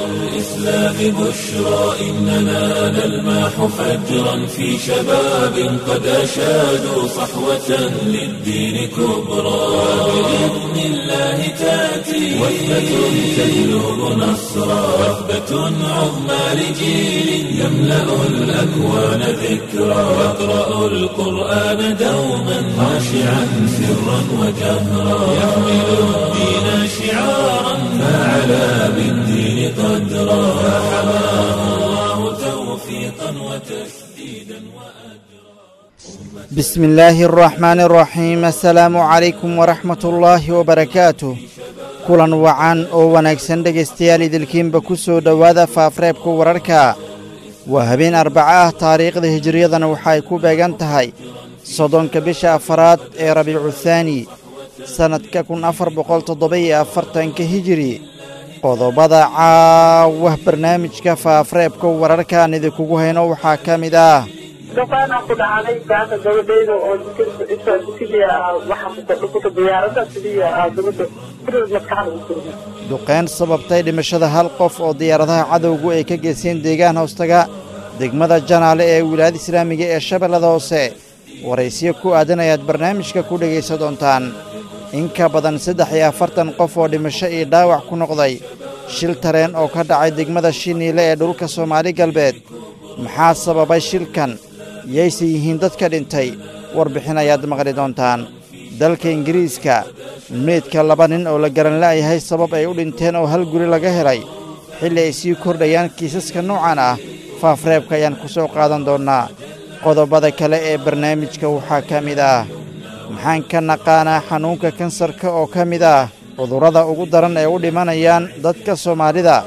الإسلام بشرى إننا نلمح فجرا في شباب قد أشادوا صحوة للدين كبرى. بإذن الله تأتي وثبة تجلب نصرا، وثبة عظمى لجيل يملأ الأكوان ذكرى. يقرأ القرآن دوما خاشعا سرا وجهرا، يحمل الدين شعارا فعلى بالدين قدرا، فحماه الله توفيقا وتسديدا وأجرا. بسم الله الرحمن الرحيم. Assalaamu calaykum waraxmat ullaahi wabarakaatuh. Kulan wacan oo wanaagsan dhegaystayaal, idilkiinba ku soo dhowaada faafreebka wararka. Waa habeen Arbaco ah, taariikhda hijiriyadana waxa ay ku beegan tahay 30-ka bisha afaraad ee Rabiicu Thaani, sannadka 1447-ka Hijiri. Qodobada caawah barnaamijka faafreebka wararkaan idinkugu hayno waxaa ka mid ah: Duqaanaa ku dhacday saaka gabadhayda oo jikadii waxaa ku diyaarada sidii gabadha maskaxda u surmay. Duqeyn sababtay dhimashada hal qof oo diyaaradaha cadowgu ay ka geysteen deegaan hoostaga degmada Janaale ee Wilaayada Islaamiga ee Shabeellada Hoose. Waraysiyo ku aadan ayaad barnaamijka ku dhegaysan doontaan. In ka badan 43 qof oo dhimasho iyo dhaawac ku noqday shil tareen oo ka dhacay degmada Shiniile ee dhulka Soomaali Galbeed. Maxaa sababay shilkan? Yayse yihiin dadka dhintay? Warbixin ayaad maqli doontaan. Dalka Ingiriiska, meydka laba nin oo la garan la'yahay sabab ay u dhinteen oo hal guri laga helay, xilli ay sii kordhayaan kiisaska noocan ah, faafreebka ayaan ku soo qaadan doonnaa. Qodobada kale ee barnaamijka waxaa ka mid ah: maxaan ka naqaanaa xanuunka kansarka oo ka mid ah cudurrada ugu daran ee u dhimanayaan dadka Soomaalida?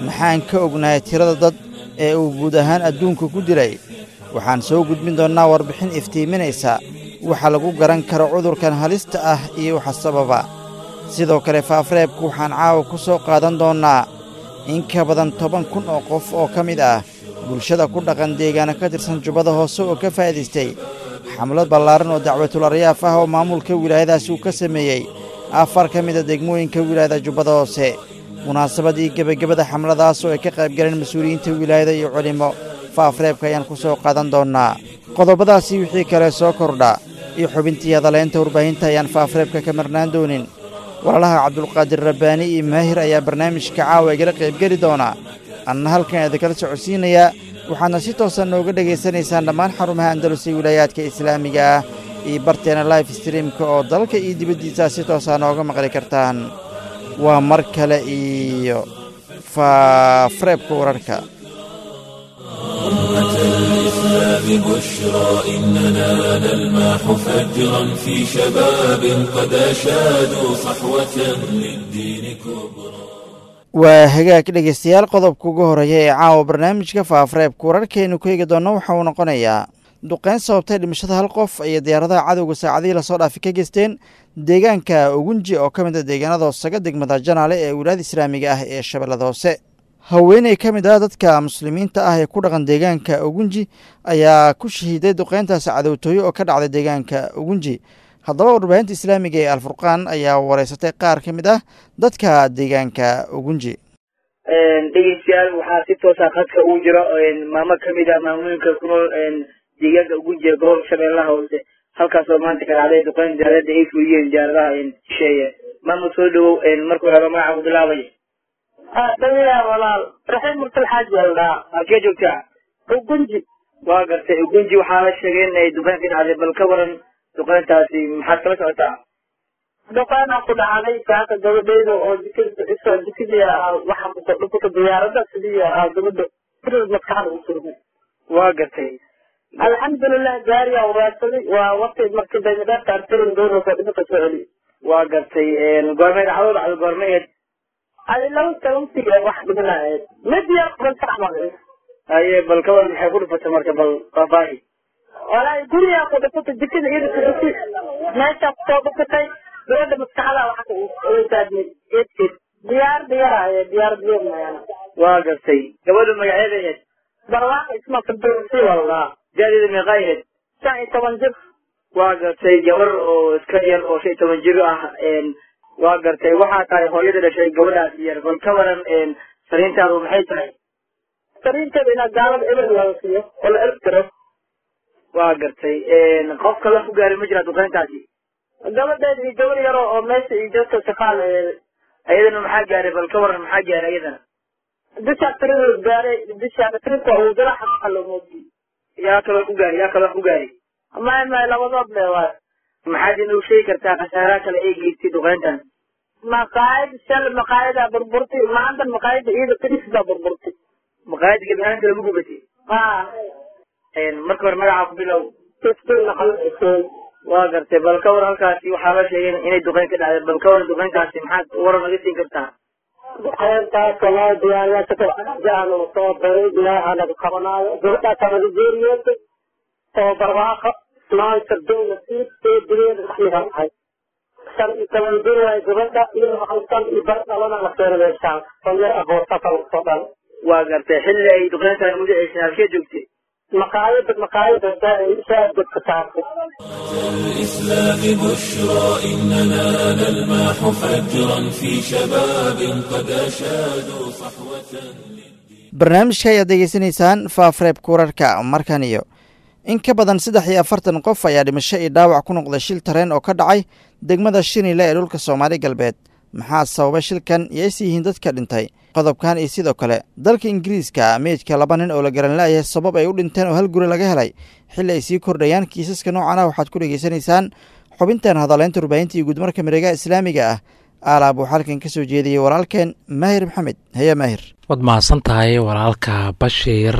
Maxaan ka ognahay tirada dad ee uu guud ahaan adduunka ku dilay? Waxaan soo gudbin doonnaa warbixin iftiiminaysa waxa lagu garan karo cudurkan halista ah iyo waxa sababa. Sidoo kale faafreebku waxaan caawa ku soo qaadan doonnaa in ka badan 10,000 oo qof oo ka mid ah bulshada ku dhaqan deegaano ka tirsan Jubbada Hoose oo ka faa'iidaystay xamlad ballaaran oo dacwatul aryaaf ah oo maamulka wilaayadaasi uu ka sameeyey afar ka mid a degmooyinka wilaayada Jubbada Hoose. Munaasabadii gebagabada xamladaas oo ay ka qayb galeen mas-uuliyiinta wilaayada iyo culimo, faafreebka ayaan ku soo qaadan doonnaa. Qodobadaasi wixii kale soo kordha iyo xubintii hadaleynta warbaahinta ayaan faafreebka ka marnaan doonin. Walaalaha Cabdulqaadir Rabbaani iyo Maahir ayaa barnaamijka caawa igala qaybgeli doona, anna halkan idinkala socodsiinayaa. Waxaadna si toosan nooga dhegaysanaysaan dhammaan xarumaha Andalus ee wilaayaadka islaamiga ah iyo barteena life streamka oo dalka iyo dibaddiisa si toosaa nooga maqli kartaan. Waa mar kale iyo faafreebka wararka. أمة الإسلام بشرى إننا نلمح فجرا في شباب قد أشادوا صحوة للدين كبرى. Waa hagaag dhegaystayaal, qodobka ugu horeeya ee caawa barnaamijka faafreebka wararkeenu ku eegi doonno waxa uu noqonayaa duqeyn sababtay dhimashada hal qof ayay diyaaradaha cadowga saacadihii lasoo dhaafay ka geysteen deegaanka Ugunji oo ka mid a deegaanada hoosaga degmada Janaale ee Wilaayada Islaamiga ah ee Shabeellada Hoose. Haweeney ka mid ah dadka muslimiinta ah ee ku dhaqan deegaanka Ugunji ayaa ku shahiiday duqeyntaasi cadowtooyo oo ka dhacday deegaanka Ugunji. Haddaba warbaahinta islaamiga ee Alfurqaan ayaa wareysatay qaar ka mid ah dadka deegaanka Ugunji. Dhegeystayaal, waxaa si toosa khadka uu jiro maamo kamid ah maamooyinka ku nool deegaanka Ugunji ee gobolka Shabeellaha Hoose, halkaas oo maanta ka dhacday duqeyn diyaarada ay fuliyeen diyaaradaha shisheeye. Maamo, soo dhawow. Markuu hore magaca ku bilaabay. Dhawiya walaal, Raxiim Mursal Xaaji baa la dhahaa. Halkee joogtaa? Ugunji. Waa gartay. Ugunji waxaa la sheegay in ay duqeyn ka dhacday. Bal ka waran duqeyntaasi, maxaad kala socotaa? Duqaanaa ku dhacday saaka gabadhayda oo jikadii waxaa ku diyaarada sidii gabadha maskaxda u surmay. Waa gartay. Alxamdulilah, gaariyaa waraadsaday, waa waqti markii daymadhaafta artirin doonaysa dhibka soo celiy. Waa gartay. Goormay dhacdo dhacdo goormaheed? Adi laba tobantii wax dhimanahayd mid yar quban sax. Haye, bal ka waran maxay ku dhufatay marka? Bal faahfaahi. Walaahi gurigaa ku dhufatay, jikada iyada ku dhufatay, meeshaa kusoo dhufatay gabadha maskaxda waxa ku taagmay eedkeed. Diyaar diyaar diyaar diyaar mayana. Waa gartay. Gabadha magaceeda ahayd? Barwaaqo Isma Fardowsi wallah. Da-deeda meeqa ahayd? 15 jir. Waa gartay, gabar oo iska yar oo 15 jir ah. Waa gartay, waxaa tahay hooyada dhashay gabadhaas yar. Bal ka waran Fariintaadu maxay tahay? Fariinteeda inaa gaalada eber laga siiyo oo la erb tiro. Waa gartay. Qof kale ku gaaray ma jiraa duqeyntaasi? Gabadheeda iyo gabar yaro oo meesha iyo joogta shaqaal Ayadana maxaa gaaray? Bal ka waran, maxaa gaaray ayadana? Dushaa tirada gaaray, dushaa tirinka uu jira xaqa loo moodiyey. Yaa kaloo ku gaaray? Yaa kaloo ku gaaray? May, labadood le waay. Maxaad inuu sheegi kartaa khasaaraha kale ee geystay duqeyntan? Maqaayad shal maqaayadaa burburtay, maanta maqaayada iyada tiris baa burburtay. Maqaayada gebi ahaanta lagu gubatay? Haa. Marka hore magacaa ku bilow. Iftiin Maxamed Xuseen. Waa gartay. Bal ka war, halkaasi waxaa la sheegay inay duqeyn ka dhacday. Bal ka waran duqeyntaasi, maxaad waran naga siin kartaa? Duqeyntaas walaahi diyaariyaasha uu soo diray ilaaha naga qabanaayo. Gabadhaasaa naga geeriyootay oo barwaaqo maanta dowla siid ee dileeda maxmiga ahay. 15 jir waaye gabadha, iyo hal san iyo bar dhalana la keenay meeshaan oo yar aboortasa lagu soo dhalay. Waa gartay. Xilli ay duqeyntan ugu dhaceysay halkee joogtay? Maqaayada shaah dadka saartay. الإسلام بشرى إننا نلمح فجرا في شباب قد أشادوا صحوة للدين. Barnaamijka ayaad degeysanaysaan faafreeb kurarka. Markan iyo in ka badan 43 qof ayaa dhimasho iyo dhaawac ku noqday shil tareen oo ka dhacay degmada Shinile ee dhulka Soomaali Galbeed. Maxaa sababay shilkan iyo is yihiin dadka dhintay? Qodobkan iyo sidoo kale dalka Ingiriiska meydka laba nin oo la garan la'yahay sabab ay u dhinteen oo hal guri laga helay xilli ay sii kordhayaan kiisaska noocan ah, waxaad ku dhegeysanaysaan xubintan hadaleynta warbaahinta iyo guudmarka mareegaha islaamiga ah. Aalaab uu xalkan ka soo jeediyey walaalkeen Maahir Maxamed. Haya Maahir. Waad mahadsan tahay walaalka Bashiir.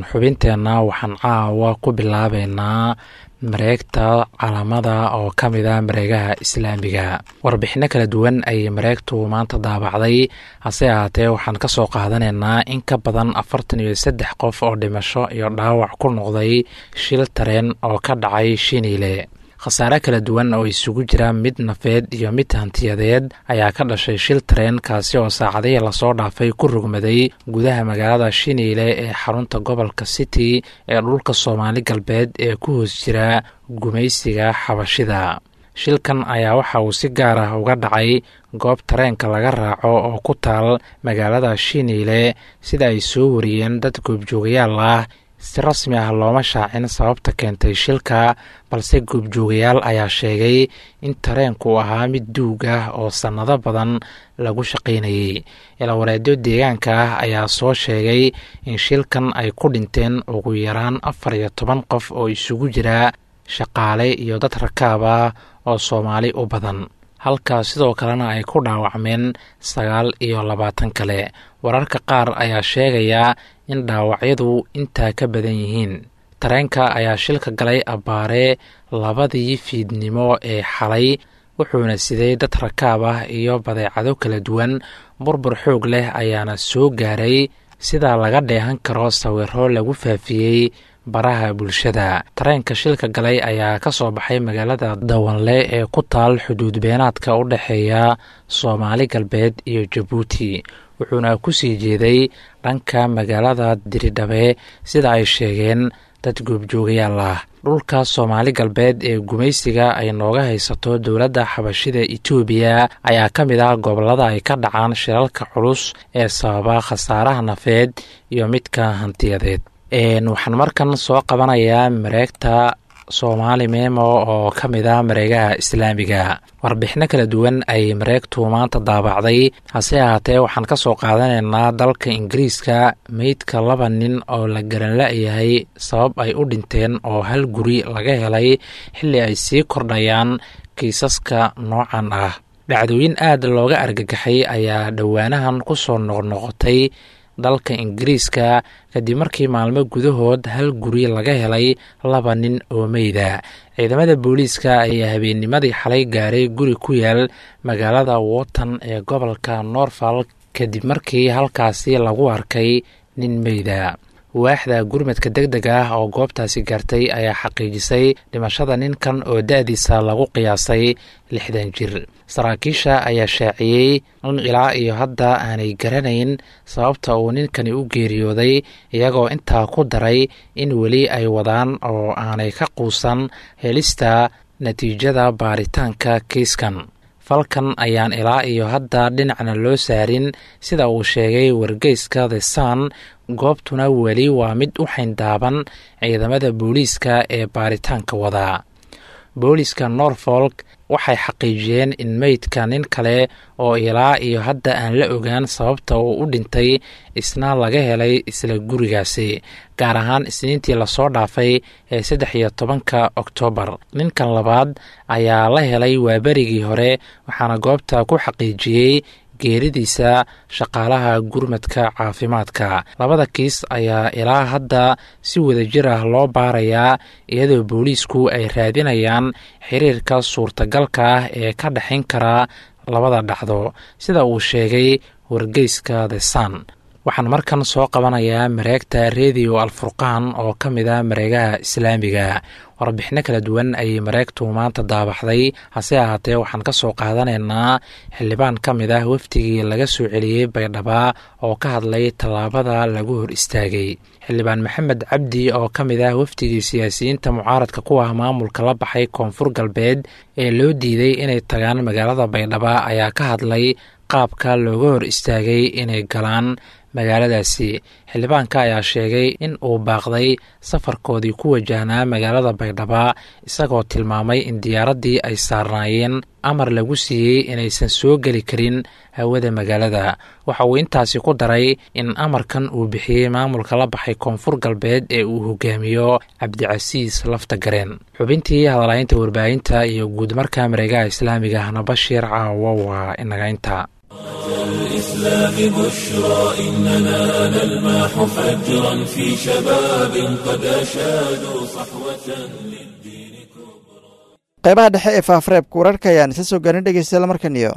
Xubinteenna waxaan caawa ku bilaabeynaa mareegta Calaamada oo ka mid ah mareegaha islaamiga. Warbixino kala duwan ayay mareegtu maanta daabacday, hase ahaatee waxaan ka soo qaadanaynaa in ka badan 43 qof oo dhimasho iyo dhaawac ku noqday shil tareen oo ka dhacay Shiniile. Khasaare kala duwan oo isugu jira mid nafeed iyo mid hantiyadeed ayaa ka dhashay shil tareen kaasi oo saacadihii lasoo dhaafay ku rogmaday gudaha magaalada Shiniile ee xarunta gobolka City ee dhulka Soomaali Galbeed ee ku hoos jira gumaysiga Xabashida. Shilkan ayaa waxa uu si gaar ah uga dhacay goob tareenka laga raaco oo ku taal magaalada Shiniile, sida ay soo wariyeen dad goobjoogayaal ah. Si rasmi ah looma shaacin sababta keentay shilka, balse goobjoogayaal ayaa sheegay in tareenku ahaa mid duug ah oo sannado badan lagu shaqaynayay. Ilawareedyo deegaanka ah ayaa soo sheegay in shilkan ay ku dhinteen ugu yaraan 14 qof oo isugu jira shaqaale iyo dad rakaab ah oo Soomaali u badan, halka sidoo kalena ay ku dhaawacmeen 29 kale. Wararka qaar ayaa sheegaya in dhaawacyadu intaa ka badan yihiin. Tareenka ayaa shilka galay abbaare 2dii fiidnimo ee xalay, wuxuuna siday dad rakaab ah iyo badeecado kala duwan. Burbur xoog leh ayaana soo gaaray, sidaa laga dheehan karo sawiro lagu faafiyey baraha bulshada. Tareenka shilka galay ayaa ka soo baxay magaalada Dawanle ee ku taal xuduud beenaadka u dhexeeya Soomaali Galbeed iyo Jabuuti, wuxuuna ku sii jeeday dhanka magaalada Diridhabe, sida ay sheegeen dad goobjoogayaal ah. Dhulka Soomaali Galbeed ee gumaysiga ay nooga haysato dowladda Xabashida Itoobiya ayaa ka mid ah gobollada ay ka dhacaan shilalka culus ee sababa khasaaraha nafeed iyo midka hantiyadeed. Waxaan markan soo qabanayaa mareegta Soomaali Memo oo ka mid ah mareegaha islaamiga. Warbixino kala duwan ay mareegtu maanta daabacday, hase ahaatee waxaan ka soo qaadanaynaa dalka Ingiriiska meydka laba nin oo la garan la-yahay sabab ay u dhinteen oo hal guri laga helay xilli ay sii kordhayaan kiisaska noocan ah. Dhacdooyin aad looga argagaxay ayaa dhowaanahan ku soo noqnoqotay dalka Ingiriiska kadib markii maalmo gudahood hal guri laga helay laba nin oo meyda. Ciidamada booliiska ayaa habeennimadii xalay gaaray guri ku yaal magaalada Wotton ee gobolka Norfolk kadib markii halkaasi lagu arkay nin meyda. Waaxda gurmadka deg deg ah oo goobtaasi gaartay ayaa xaqiijisay dhimashada ninkan oo da-diisa lagu qiyaasay 60 jir. Saraakiisha ayaa shaaciyey in ilaa iyo hadda aanay garanayn sababta uu ninkani u geeriyooday, iyagoo intaa ku daray in weli ay wadaan oo aanay ka quusan helista natiijada baaritaanka kiiskan. Falkan ayaan ilaa iyo hadda dhinacna loo saarin, sida uu sheegay wargeyska The Sun. Goobtuna weli waa mid u xayndaaban ciidamada booliiska ee baaritaanka wadaa. Booliiska Norfolk waxay xaqiijiyeen in meydka nin kale oo ilaa iyo hadda aan la ogaan sababta uu u dhintay isna laga helay isla gurigaasi, gaar ahaan Isniintii lasoo dhaafay ee 13-ka Oktoobar. Ninkan labaad ayaa la helay waaberigii hore, waxaana goobta ku xaqiijiyey geeridiisa shaqaalaha gurmadka caafimaadka. Labada kiis ayaa ilaa hadda si wadajir ah loo baarayaa, iyadoo booliisku ay raadinayaan xiriirka suurtagalka ah ee ka dhexayn kara labada dhacdo, sida uu sheegay wargeyska The Sun. Waxaan markan soo qabanayaa mareegta Redio Alfurqaan oo ka mid ah mareegaha islaamiga. Warbixino kala duwan ayay mareegtu maanta daabaxday, hase ahaatee waxaan ka soo qaadanaynaa xildhibaan ka mid ah wafdigii laga soo celiyey Baydhaba oo ka hadlay tallaabada lagu hor istaagay. Xildhibaan Maxamed Cabdi oo ka mid ah wafdigii siyaasiyiinta mucaaradka ku ah maamulka la baxay Koonfur Galbeed ee loo diiday inay tagaan magaalada Baydhaba ayaa ka hadlay qaabka looga hor istaagay inay galaan magaaladaasi. Xildhibaanka ayaa sheegay in uu baaqday safarkoodii ku wajahnaa magaalada Baydhaba, isagoo tilmaamay in diyaaraddii ay saarnaayeen amar lagu siiyey inaysan soo geli karin hawada magaalada. Waxa uu intaasi ku daray in amarkan uu bixiyey maamulka la baxay Koonfur Galbeed ee uu hogaamiyo Cabdicasiis Lafta Gareen. Xubintii hadalhaynta warbaahinta iyo guud marka mareegaha islaamiga ahna, Bashiir, caawa waa inaga inta. الإسلام بشرى إننا نلمح فجرا في شباب قد أشادوا صحوة للدين كبرى. Qaybaha dhexe ee faafareebka wararka ayaan isla soo gaarin, dhegeystayaal. Markan iyo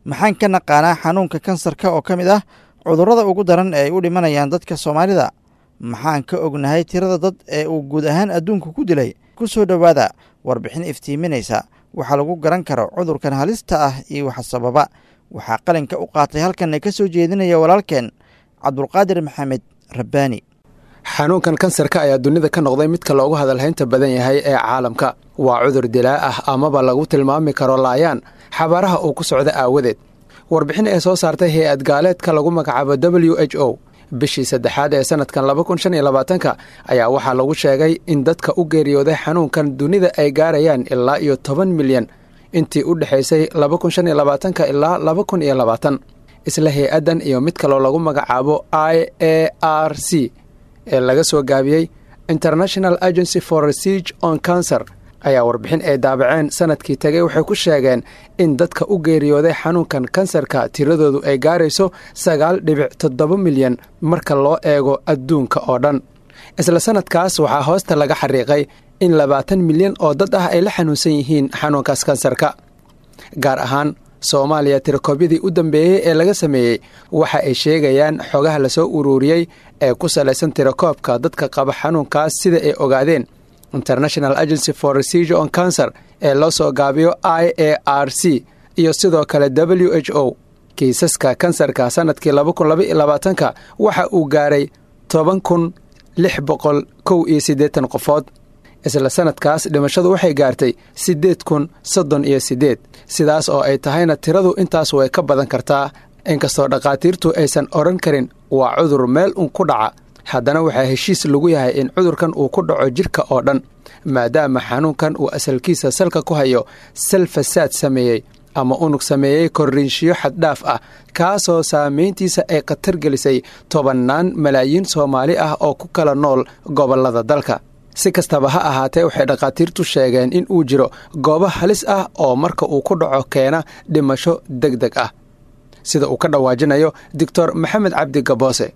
maxaan ka naqaanaa xanuunka kansarka oo ka mid ah cudurrada ugu daran ee ay u dhimanayaan dadka Soomaalida? Maxaan ka ognahay tirada dad ee uu guud ahaan adduunku ku dilay? Ku soo dhowaada warbixin iftiiminaysa waxaa lagu garan karo cudurkan halista ah iyo waxa sababa. Waxaa qalinka u qaatay halkanna ka soo jeedinaya walaalkeen Cabdulqaadir Maxamed Rabbaani. Xanuunkan kansarka ayaa dunida ka noqday midka loogu hadalhaynta badan yahay ee caalamka. Waa cudur dilaa ah amaba lagu tilmaami karo laayaan xabaaraha uu ku socda aawadeed. Warbixin ee soo saartay hay-ad gaaleedka lagu magacaabo WHO bishii saddexaad ee sanadkan 2025-ka ayaa waxaa lagu sheegay in dadka u geeriyooday xanuunkan dunida ay gaarayaan ilaa iyo 10 milyan intii u dhexaysay 2025-ka ilaa 2020. Isla hay-addan iyo mid kaloo lagu magacaabo IARC ee laga soo gaabiyey International Agency for Research on Cancer ayaa warbixin ay daabaceen sanadkii tegay waxay ku sheegeen in dadka u geeriyooday xanuunkan kansarka tiradoodu ay gaarayso 9.7 milyan marka loo eego adduunka oo dhan. Isla sanadkaas waxaa hoosta laga xariiqay in 20 milyan oo dad ah ay la xanuunsan yihiin xanuunkaas kansarka. Gaar ahaan Soomaaliya, tirakoobyadii u dambeeyey ee laga sameeyey waxa ay sheegayaan xogaha lasoo uruuriyey ee ku salaysan tirakoobka dadka qaba xanuunkaas, sida ay ogaadeen International Agency for Research on Cancer ee loo soo gaabiyo IARC iyo sidoo kale WHO, kiisaska kansarka sanadkii 2022-ka waxa uu gaaray 10,681 qofood. Isla sanadkaas dhimashadu waxay gaartay 8,038. Sidaas oo ay tahayna tiradu intaas way ka badan kartaa. Inkastoo dhakhaatiirtu aysan odhan karin waa cudur meel un ku dhaca, haddana waxaa heshiis lagu yahay in cudurkan uu ku dhaco jidhka oo dhan, maadaama xanuunkan uu asalkiisa salka ku hayo sal fasaad sameeyey ama unug sameeyey korriinshiyo xaddhaaf ah, kaasoo saameyntiisa ay khatar gelisay tobannaan malaayiin Soomaali ah oo ku kala nool gobollada dalka. Si kastaba ha ahaatee, waxay dhakhaatiirtu sheegeen in uu jiro goobo halis ah oo marka uu ku dhaco keena dhimasho deg deg ah, sida uu ka dhawaajinayo Doctor Maxamed Cabdi Gaboose.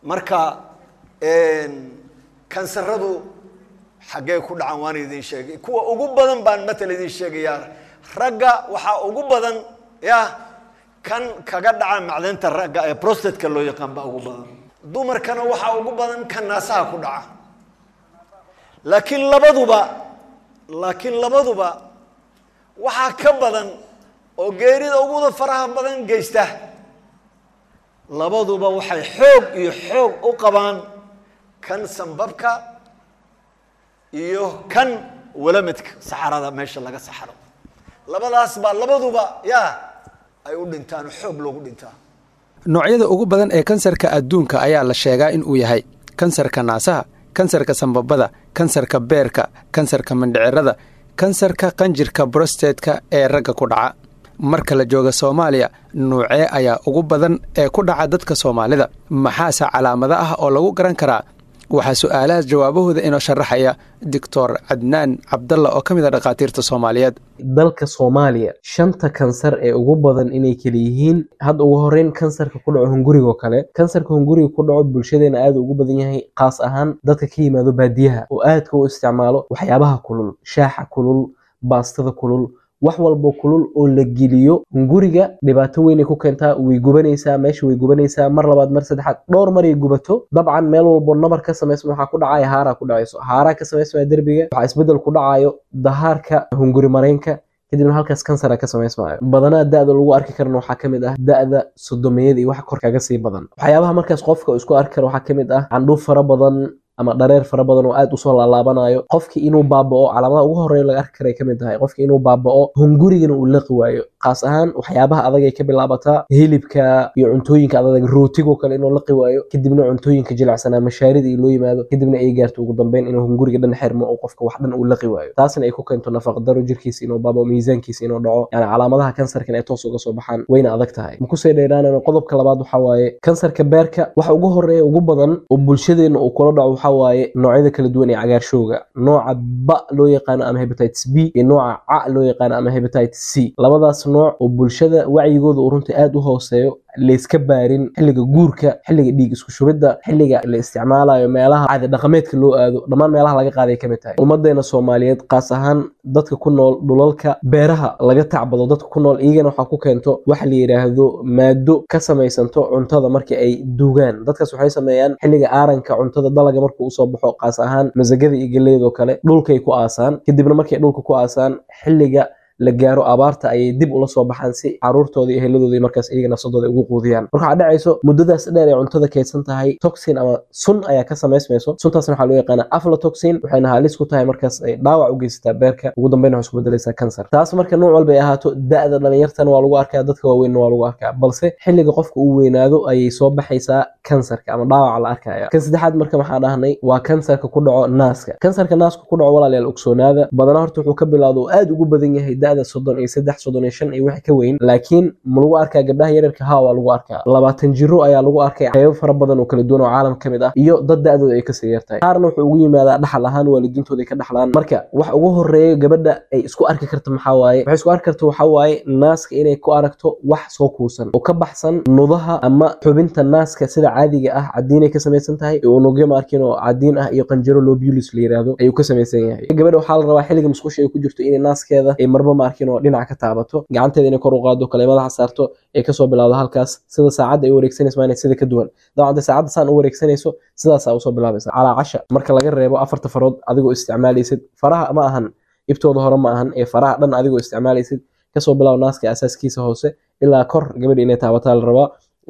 Marka kansaradu xaggee ku dhacan? Waan idin sheegay. Kuwa ugu badan baan matal idin sheegayaa. Ragga waxaa ugu badan ya kan kaga dhaca macdanta ragga ee prostate-ka loo yaqaan baa ugu badan. Dumarkana waxaa ugu badan kan naasaha ku dhaca. Laakiin labaduba waxaa ka badan oo geerida uguda faraha badan geysta. Labaduba waxay xoog iyo xoog u qabaan kan sambabka iyo kan walamidka, saxarada, meesha laga saxaro. Labadaas baa labaduba yaa ay u dhintaan, xoog loogu dhintaa. Noocyada ugu badan ee kansarka adduunka ayaa la sheegaa in uu yahay kansarka naasaha, kansarka sambabada, kansarka beerka, kansarka mindhicirada, kansarka qanjirka brosteedka ee ragga ku dhaca. Marka la jooga Soomaaliya, nuucee ayaa ugu badan ee ku dhaca dadka Soomaalida? Maxaase calaamado ah oo lagu garan karaa? Waxaa su-aalahaas jawaabahooda inoo sharaxaya Doctor Cadnaan Cabdalla oo ka mid a dhakhaatiirta Soomaaliyeed. Dalka Soomaaliya shanta kansar ee ugu badan inay kala yihiin, hadda ugu horeyn kansarka ku dhaco hungurigo kale. Kansarka hunguriga ku dhaco bulshadeena aad ugu badan yahay, qaas ahaan dadka ka yimaado baadiyaha oo aadka u isticmaalo waxyaabaha kulul, shaaxa kulul, baastada kulul, wax walbo kulul oo la geliyo hunguriga dhibaato weynay ku keentaa. Way gubanaysaa meesha, way gubanaysaa mar labaad, mar saddexaad, dhowr maray gubato. Dabcan meel walbo nabar ka samaysma waxaa ku dhacaya haaraa ku dhacayso, haaraa ka samaysmaya derbiga, waxaa isbedel ku dhacayo dahaarka hunguri mareynka, kadibna halkaas kansara ka samaysmayo. Badanaa da'da lagu arki karana waxaa kamid ah da'da sodomiyada iyo wax kor kaga sii badan. Waxyaabaha markaas qofka isku arki karo waxaa kamid ah candhuuf fara badan ama dhareer fara badan oo aad usoo laalaabanayo, qofki inuu baaba'o. Calaamadaha ugu horeeya laga arki karay kamid tahay qofki inuu baaba'o, hungurigana uu laqi waayo. Qaas ahaan waxyaabaha adag ay ka bilaabataa, hilibka iyo cuntooyinka adag, rootigoo kale inuu laqi waayo, kadibna cuntooyinka jilicsanaa, mashaarida iyo loo yimaado, kadibna ay gaarto ugu dambeyn inuu hunguriga dhan xirmo oo qofka wax dhan uu laqi waayo. Taasna ay ku keento nafaqdaro, jirkiisa inuu baaba'o, miisaankiisa inuu dhaco, yani calaamadaha kansarkan ay toos uga soo baxaan. Wayna adag tahay, ma kusii dheeraanayno. Qodobka labaad waxaa waaye kansarka beerka. Waxa ugu horeeya ugu badan oo bulshadeena uu kula dhaco waxaa waaye noocyada kala duwan ee cagaarshowga, nooca ba loo yaqaano ama hepatitis B iyo nooca ca loo yaqaano ama hepatitis C. Labadaas nooc oo bulshada wacyigooda uu runtii aad u hooseeyo, layska baarin xilliga guurka, xilliga dhiig isku shubidda, xilliga la isticmaalayo meelaha caadi dhaqameedka loo aado, dhammaan meelaha laga qaaday kamid tahay. Ummadeena Soomaaliyeed, qaas ahaan dadka ku nool dhulalka beeraha laga tacbado, dadka ku nool iyagana waxaa ku keento waxa la yidhaahdo maado ka samaysanto cuntada marka ay duugaan. Dadkaas waxay sameeyaan xilliga aaranka cuntada, dalaga markuu usoo baxo, qaas ahaan masagada iyo galleyda oo kale, dhulkay ku aasaan. Kadibna markay dhulka ku aasaan, xilliga la gaaro abaarta ayay dib ula soo baxaan si caruurtooda iyo eheladooda markaas iyaga nafsadooda ugu quudiyaan. Marka waxaa dhacayso muddadaas dheer ee cuntada kaydsan tahay, toxin ama sun ayaa ka samaysmayso. Suntaasna waxaa loo yaqaanaa aflatoxin, waxayna halis ku tahay markaas ay dhaawac u geysataa beerka, ugu dambeyn waxay isku bedelaysaa kansar. Taas marka nooc walba ay ahaato, da'da dhalinyartana waa lagu arkaa, dadka waaweynna waa lagu arkaa, balse xilliga qofka uu weynaado ayay soo baxaysaa kansarka ama dhaawaca la arkaya. Kan saddexaad marka waxaa dhahnay waa kansarka ku dhaco naaska. Kansarka naaska ku dhaco, walaalayaal ogsoonaada, badanaa horta wuxuu ka bilowda oo aad ugu badan yahay da'da 33, 35 iyo wixii ka weyn. Laakiin ma lagu arkaa gabdhaha yaryarka? Haa, waa lagu arkaa. 20 jiro ayaa lagu arkay qaybo fara badan oo kala duwan oo caalamka ka mid ah, iyo dad da'dooda ay kasii yartahay. Qaarna wuxuu ugu yimaadaa dhaxal ahaan, waalidiintooda ay ka dhaxlaan. Marka wax ugu horeeya gabadha ay isku arki karto maxaa waaye? Waxay isku arki karto waxaa waaye naaska inay ku aragto wax soo kuusan oo ka baxsan nudaha ama xubinta naaska. Sida caadiga ah cadiinay ka samaysan tahay, unugyo ma arkin oo cadiin ah iyo qanjiro lobules la yiraahdo ayuu ka samaysan yahay. Gabadha waxaa la rabaa xilliga musqusha ay ku jirto inay naaskeeda ay marba ma arkin oo dhinac ka taabato, gacanteeda inay kor u qaado kale, madaxa saarto, ay kasoo bilowdo halkaas. Sida saacadda ay u wareegsanayso waa inay sida ka duwan. Dabcan dee saacadda saan u wareegsanayso, sidaasaa usoo bilaabaysa. Calaa casha marka laga reebo afarta farood adigoo isticmaalaysid, faraha ma ahan ibtooda hore ma ahan ee faraha dhan adigoo isticmaalaysid, kasoo bilaab naaska asaaskiisa hoose ilaa kor gabadha inay taabataa la rabaa,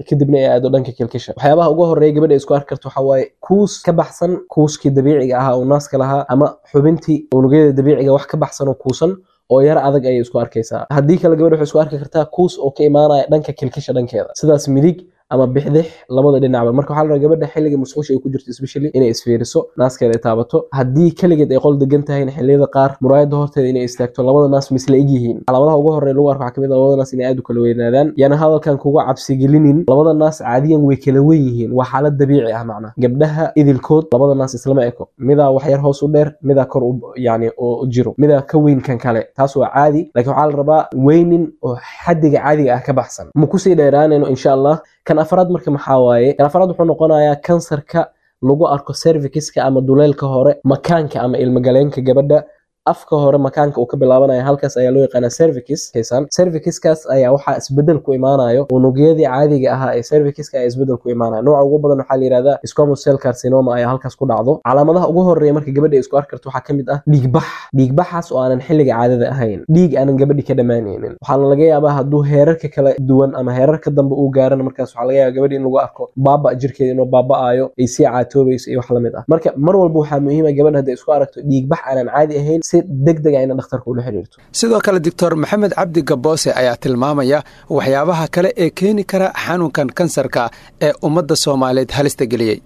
kadibna ay aado dhanka kilkisha. Waxyaabaha ugu horeeya gabadha isku arki karto waxaa waaye kuus ka baxsan kuuskii dabiiciga ahaa oo naaska lahaa ama xubintii unugyada dabiiciga, wax ka baxsan oo kuusan oo yar adag ayay isku arkaysaa. Haddii kale gabadha waxay isku arki kartaa kuus oo ka imaanaya dhanka kilkisha dhankeeda, sidaas midig ama bixdix, labada dhinacba. Marka waxaa la rabaa gabadha xilliga musqusha ay ku jirto especially inay isfiiriso, naaskeeda ay taabato. Haddii kaligeed ay qol degan tahayna, xilliyada qaar muraayada horteeda inay istaagto. Labada naas misla eg yihiin? Calaamadaha ugu horeeya lagu arko waxaa kamid ah labada naas inay aad u kala weynaadaan. Yaana hadalkan kuga cabsigelinin, labada naas caadiyan way kala wen yihiin, waa xaalad dabiici ah. Macnaha gabdhaha idilkood labada naas islama eko, midaa wax yar hoos u dheer, midaa kor u yani oo jiro, midaa ka weyn kan kale. Taas waa caadi, laakiin waxaa la rabaa weynin oo xaddiga caadiga ah ka baxsan. Ma kusii dheeraanayno insha Allah. Kan afraad marka maxaa waaye? Kan afraad wuxuu noqonayaa kansarka lagu arko cervixiska ama duleelka hore makaanka ama ilmagaleenka gabadha, afka hore makaanka uu ka bilaabanaya, halkaas ayaa loo yaqaanaa cervix. Kaysan cervixiskaas ayaa waxaa isbedel ku imaanayo unugyadii caadiga ahaa ee cervixiska ayaa isbedel ku imaanaya. Nooca ugu badan waxaa la yidhahdaa squamous cell carcinoma ayaa halkaas ku dhacdo. Calaamadaha ugu horeeya marka gabadha ay isku arki karto waxaa kamid ah dhiigbax, dhiigbaxaas oo aanan xilliga caadada ahayn, dhiig aanan gabadhi ka dhammaanaynin. Waxaana laga yaabaa hadduu heerarka kala duwan ama heerarka dambe uu gaarana, markaas waxaa laga yaabaa gabadhi in lagu arko baaba jirkeeda inuu baaba'ayo, ay sii caatoobayso iyo wax lamid ah. Marka mar walba waxaa muhiim ah gabadha hadday isku aragto dhiigbax aanan caadi ahayn Si deg deg ah ina dhakhtarka ula xiriirto. Sidoo kale Doctor Maxamed Cabdi Gaboose ayaa tilmaamaya waxyaabaha kale ee keeni kara xanuunkan kansarka ee ummadda Soomaaliyeed halista geliyey.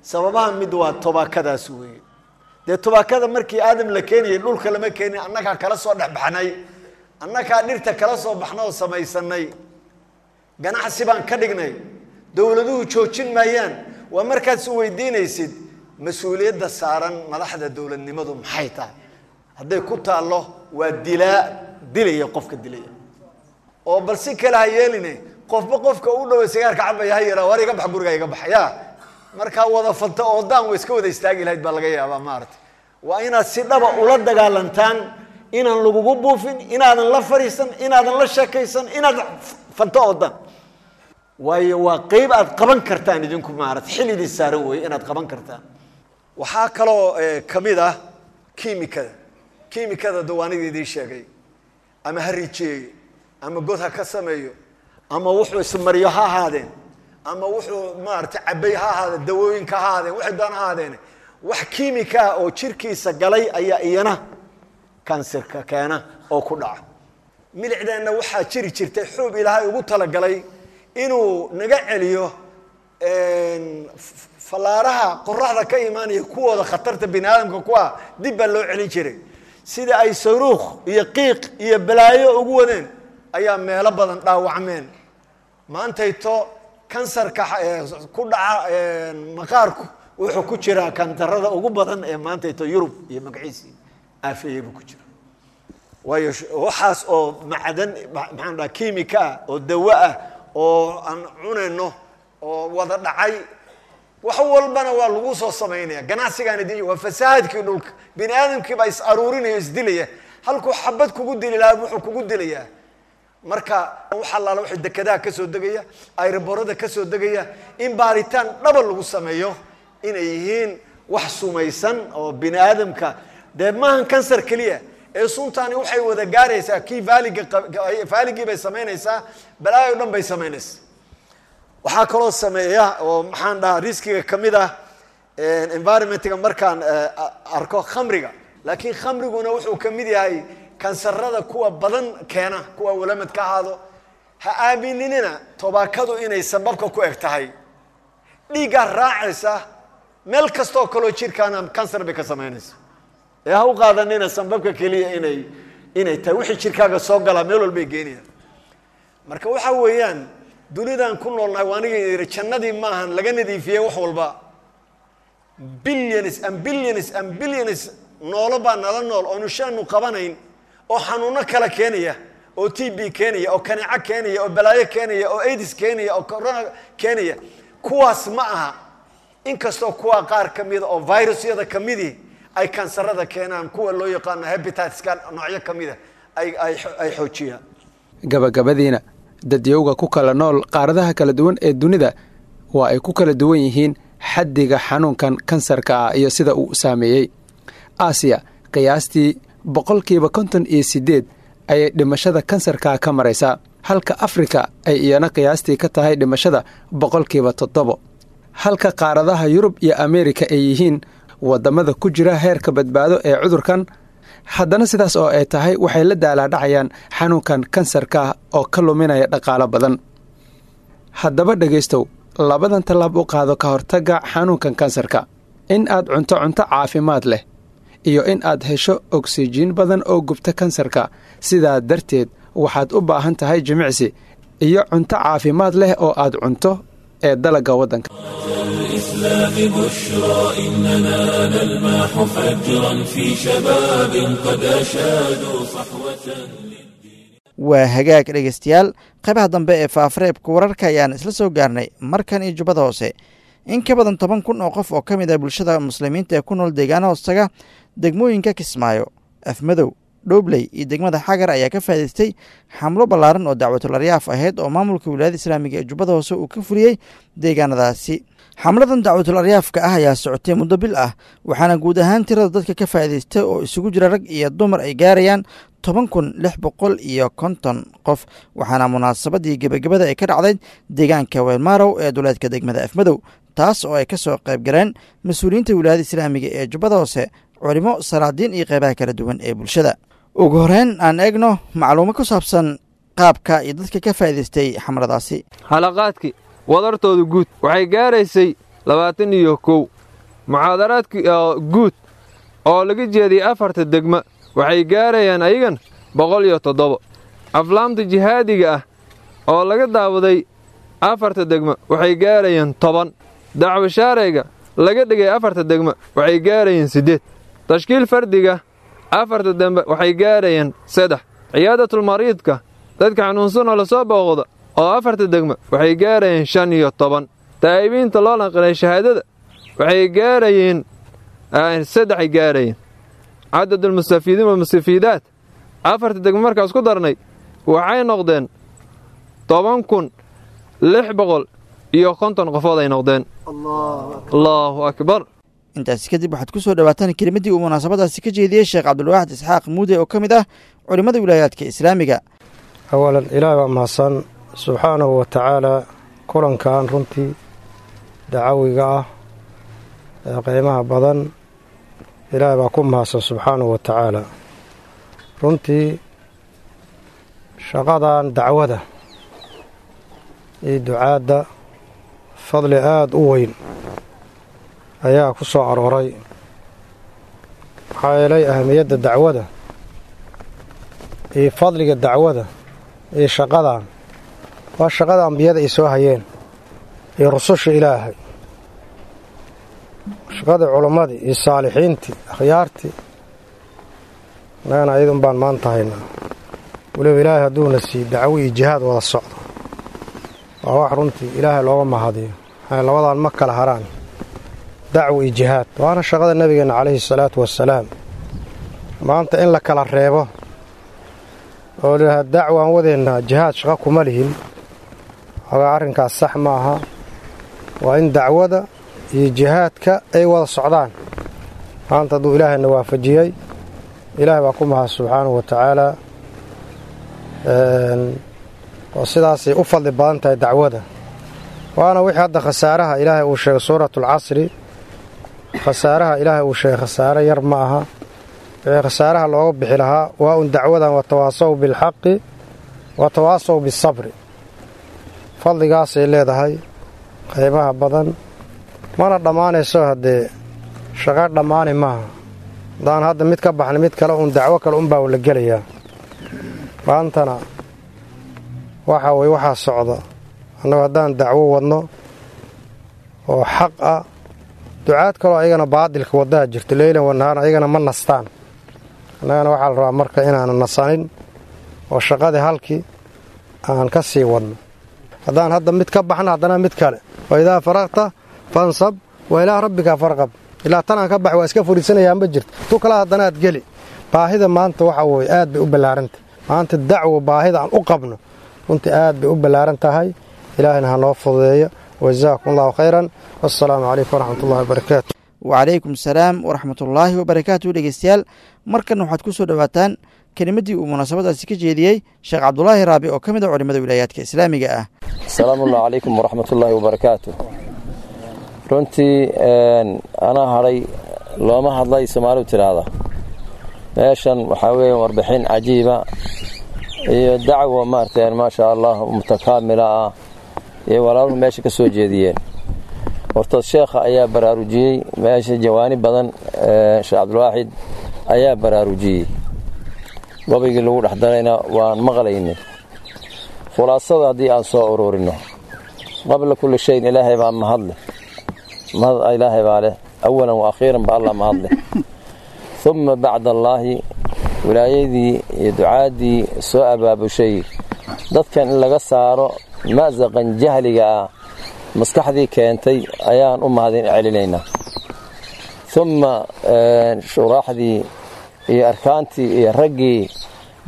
Sababaha mid waa tobaakadaas weeye. Dee tobaakada markii Aadam la keenayay dhulka lama keenin, annagaa kala soo dhexbaxnay, annagaa dhirta kala soo baxna oo samaysanay, ganacsi baan ka dhignay. Dowladuhu joojin maayaan. Waa markaad is weydiinaysid mas-uuliyadda saaran madaxda dowladnimadu maxay tahay. Hadday ku taallo waa dilaa, dilaya qofka dilaya, oo bal si kale ha yeeline, qofba qofka u dhoway sigaarka cabaya ha yaraa, war iga bax guriga, iga bax. Ya markaa wada fanta oo daan way iska wada istaagi lahayd baa laga yaabaa. Maaragtay, waa inaad si dhaba ula dagaalantaan, inaan lagugu buufin, inaadan la fariisan, inaadan la sheekaysan, inaad fanto oo daan. Waayo waa qeyb aad qaban kartaan idinku, maarata, xil idin saaran weeye inaad qaban kartaan. Waxaa kaloo kamid ah kiimikada. Kiimikada dawaanida idiin sheegay, ama ha rijeeyo, ama god ha ka sameeyo, ama wuxuu ismariyo ha ahaadeen, ama wuxuu maarata cabay ha ahaadeen, dawooyinka ha ahaadeen, waxay doon ha ahaadeen, wax kiimika ah oo jirkiisa galay ayaa iyana kansarka keena oo ku dhaca. Milicdeenna waxaa jiri jirtay xuub Ilaahay ugu talagalay inuu naga celiyo fallaaraha qoraxda ka imaanaya, kuwooda khatarta bini aadamka ku ah, dib baa loo celin jiray. Sida ay saruukh iyo qiiq iyo balaayo ugu wadeen ayaa meelo badan dhaawacmeen. Maantayto kansarka ku dhaca maqaarku wuxuu ku jiraa kantarada ugu badan ee maantayto Yurub iyo magaciisii aafeeyey buu ku jira. Waayo waxaas oo macdan, maxaan dhaha, kiimika ah oo dawo ah oo aan cunayno oo wada dhacay, wax walbana waa lagu soo samaynaya. Ganacsigaan idin waa fasahaadkii dhulka, bini aadamkii baa is aruurinaya o isdilaya. Halkuu xabad kugu dili lahaa wuxuu kugu dilayaa. Marka wax allaala waxay dekedaha ka soo degaya, airboorada ka soo degaya, in baaritaan dhaba lagu sameeyo inay yihiin wax sumaysan oo bini aadamka. Dee maahan kansar keliya ee suntaani waxay wada gaaraysaa kii vaaliga, vaaligii bay samaynaysaa, balaayo dhan bay samaynaysaa. Waxaa kaloo sameeya oo, maxaan dhahaa, riskiga kamid ah environmentga markaan arko khamriga. Laakiin khamriguna wuxuu kamid yahay kansarada kuwa badan keena, kuwa walamad ka ahaado. Ha aamininina tobaakadu inay sababka ku eg tahay. Dhiiggaa raacaysa meel kastoo kaloo jirkaana kansar bay ka samaynaysa. Ee ha u qaadanina sambabka keliya inay tahay. Wixii jirkaaga soo galaa meel walbay geenayaan. Marka waxa weeyaan dunidan ku noolnahay waa aniga yidhi jannadii maahan laga nadiifiyey wax walba. Billions and billions and billions noolo baa nala nool oonu shaanu qabanayn oo xanuuno kala keenaya, oo TB keenaya, oo kaneeco keenaya, oo balaayo keenaya, oo AIDS keenaya, oo corona keenaya. Kuwaas ma aha, inkastoo kuwa qaar ka mida oo virusyada kamidii ay kansarada keenaan, kuwa loo yaqaano hepatitiska noocyo kamida ay xoojiyaan. Gabagabadiina, dadyowga ku kala nool qaaradaha kala duwan ee dunida waa ay ku kala duwan yihiin xaddiga xanuunkan kansarka ah iyo sida uu saameeyey. Aasiya qiyaastii 58% ayay dhimashada kansarka ka maraysaa, halka Afrika ay iyana qiyaastii ka tahay dhimashada 7%, halka qaaradaha Yurub iyo Ameerika ay yihiin waddamada ku jira heerka badbaado ee cudurkan. Haddana sidaas oo ay tahay waxay la daalaadhacayaan xanuunkan kansarka oo ka luminaya dhaqaalo badan. Haddaba dhegaystow, labadan tallaab u qaado ka hortagga xanuunkan kansarka: in aad cunto cunto caafimaad leh iyo in aad hesho ogsijiin badan oo gubta kansarka. Sidaa darteed waxaad u baahan tahay jimicsi iyo cunto caafimaad leh oo aad cunto ee dalagga waddanka. الإسلام بشرى إننا نلمح فجرا في شباب قد أشادوا صحوة. Waa hagaag dhegeystayaal, qaybaha dambe ee faafareebka wararka ayaan isla soo gaarnay. Markan iyo Jubbada Hoose, in ka badan 10,000 oo qof oo ka mid ah bulshada muslimiinta ee ku nool deegaana hoostaga degmooyinka Kismaayo, Afmadow, Dhoobley iyo degmada Xagar ayaa ka faa'idaystay xamlo ballaaran oo dacwatul aryaaf ahayd oo maamulka wilaayada islaamiga ee Jubbada Hoose uu ka fuliyey deegaanadaasi. Xamladan dacwatul aryaafka ah ayaa socotay muddo bil ah, waxaana guud ahaan tirada dadka ka faa'idaystay oo isugu jira rag iyo dumar ay gaarayaan 10,650 qof, waxaana munaasabadii gebagabada ay ka dhacday deegaanka Weelmaarow ee duleedka degmada Afmadow, taas oo ay ka soo qayb galeen mas-uuliyiinta wilaayada islaamiga ee Jubbada Hoose, culimo, salaadiin iyo qeybaha kala duwan ee bulshada. Ugu horeyn aan eegno macluumo ku saabsan qaabka iyo dadka ka faa'iidaystay xamladaasi. Xalaqaadkii wadartooda guud waxay gaaraysay 21. Muxaadaraadkii guud oo laga jeediyey 4ta degma waxay gaarayaan ayagan 107. Aflaamta jihaadiga ah oo laga daawaday 4ta degma waxay gaarayaan 10. Dacwo shaarayga laga dhigay 4ta degma waxay gaarayeen 8. Tashkiil fardiga 4ta dembe waxay gaarayeen 3. Ciyaadatul mariidka dadka xanuunsanoo lasoo booqda oo 4ta degma waxay gaarayeen 15. Taa'ibiinta loo lanqilay shahaadada waxay gaarayeen 3 gaarayeen. Cadadulmustafiidiin walmustafiidaat 4ta degma markaas ku darnay waxay noqdeen 10,650 qofood ay noqdeen. Allaahu akbar. Intaasi kadib waxaad ku soo dhawaataan kelimadii uu munaasabadaasi ka jeediyey Sheekh Cabdulwaaxid Isxaaq Muude oo ka mid ah culimmada wilaayaadka islaamiga. Awalan, Ilaah baa mahadsan subxaanahu wa tacaalaa. Kulankan runtii dacawiga ah ee qiimaha badan, Ilaah baa ku mahadsan subxaanahu wa tacaala. Runtii shaqadan dacwada iyo ducaadda fadli aada u weyn ayaa ku soo arooray, maxaa yeelay ahamiyadda dacwada iyo fadliga dacwada iyo shaqadan waa shaqada ambiyada ay soo hayeen iyo rususha Ilaahay, shaqada culammadii iyo saalixiintii akhyaartii. Annagana ayadun baan maanta haynaa. Weliba Ilaahay hadduuna siiy dacwo iyo jihaad wada socdo, waa wax runtii Ilaahay looga mahadiyo. Maxaa labadan ma kala haraan, dacwo iyo jihaad, waana shaqada nabigeenna calayhi salaatu wasalaam. Maanta in la kala reebo oo layidhaha dacwaan wadeennaa, jihaad shaqo kuma lihin, xogaa arrinkaas sax ma aha. Waa in dacwada iyo jihaadka ay wada socdaan. Maanta hadduu Ilaahayna waafajiyey, Ilaah baa ku mahad subxaanahu wa tacaalaa, oo sidaasay u fadli badan tahay dacwada. Waana wixii hadda khasaaraha Ilaahay uu sheegay suuratulcasri. Khasaaraha Ilaahay uu sheegay khasaare yar ma aha. Wixii khasaaraha looga bixi lahaa waa un dacwadan, watawaasaw bilxaqi watawaasaw bisabri. Fadligaasay leedahay qaybaha badan, mana dhammaanayso. Haddee shaqo dhammaani maaha. Haddaan hadda mid ka baxnay, mid kale uun dacwo kale unbaa la gelayaa. Maantana waxa weye waxaa socda, annagu haddaan dacwo wadno oo xaq ah, ducaad kaloo ayagana baadilka waddaha jirto leylan wanahaaran, ayagana ma nastaan. Annagana waxaa la rabaa marka inaanan nasanin oo shaqadii halkii aan ka sii wadno. Haddaan hadda mid ka baxno, haddana mid kale. Wa idaa faraqta fansab wa ilaa rabbika farqab. Ilaa tanaan ka bax waa iska furiisanayaa ma jirto, tu kala haddanaad geli. Baahida maanta waxa weye aad bay u ballaarantah. Maanta dacwo baahida aan u qabno runtii aad bay u ballaaran tahay. Ilaahayna ha noo fududeeyo. Wajazaakum Allahu khayran, wassalaamu calaykum waraxmat ullahi wabarakaatu. Wacalaykum asalaam waraxmatullaahi wabarakaatu. Dhegeystayaal, markan waxaad ku soo dhowaataan kelimadii uu munaasabadaasi ka jeediyey Sheekh Cabdulaahi Raabi oo ka mid ah culimada wilaayaadka islaamiga ah. Asalaamu allahu calaykum waraxmatullaahi wabarakaatu. Runtii anaa hadhay looma hadlay, Soomaalidu tidhaahda. Meeshan waxaa weeye warbixin cajiiba iyo dacwo maaragtay, maasha Allah, mutakaamila ah iyo walaaluhu meesha ka soo jeediyeen. Horta sheekha ayaa baraarujiyey meesha jawaanib badan. Sheekh Cabdulwaaxid ayaa baraarujiyey, gobaygii lagu dhex darayna waan maqlaynay. Khulaasada haddii aan soo ururino, qabla kulli shayin Ilaahay baa mahadleh. Mahad Ilaahay baa leh, awalan wa akhiiran ba Allah mahadleh. Uma bacda allaahi, wilaayadii iyo ducaaddii soo abaabushay dadkan in laga saaro ma'saqan jahliga ah maskaxdii keentay ayaan u mahadin celinaynaa. Uma shuraaxdii iyo arkaantii iyo raggii